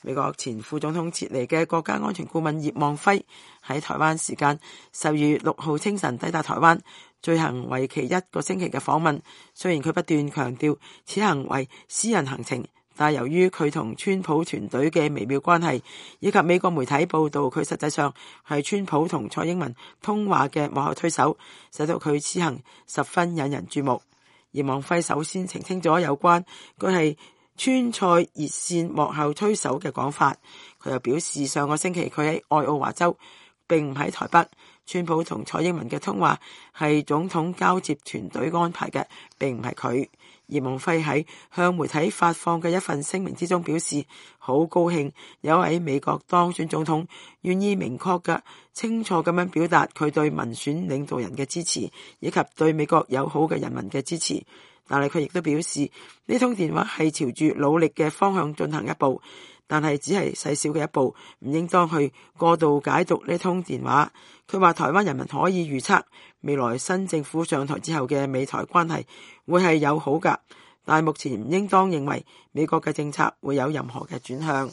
美國前副總統撤離嘅國家安全顧問葉望輝喺台灣時間12月6號清晨抵達台灣，進行為期1個星期嘅訪問。雖然佢不斷強調此行為私人行程，但由於佢同川普團隊嘅微妙關係，以及美國媒體報道佢實際上係川普同蔡英文通話嘅幕後推手，使到佢此行十分引人注目。葉望輝首先澄清咗有關佢係川蔡熱線幕後推手嘅講法。佢又表示上個星期佢喺愛奧華州，並唔喺台北。川普同蔡英文嘅通話係總統交接團隊安排嘅，並唔係佢。葉望輝喺向媒體發放嘅一份聲明之中表示，好高興有位美國當選總統願意明確嘅、清楚咁樣表達佢對民選領導人嘅支持，以及對美國友好嘅人民嘅支持。但係佢亦都表示，呢通電話係朝住努力嘅方向進行一步，但係只係細小嘅一步，唔應當去過度解讀呢通電話。佢話台灣人民可以預測未來新政府上台之後嘅美台關係會係友好㗎，但係目前唔應當認為美國嘅政策會有任何嘅轉向。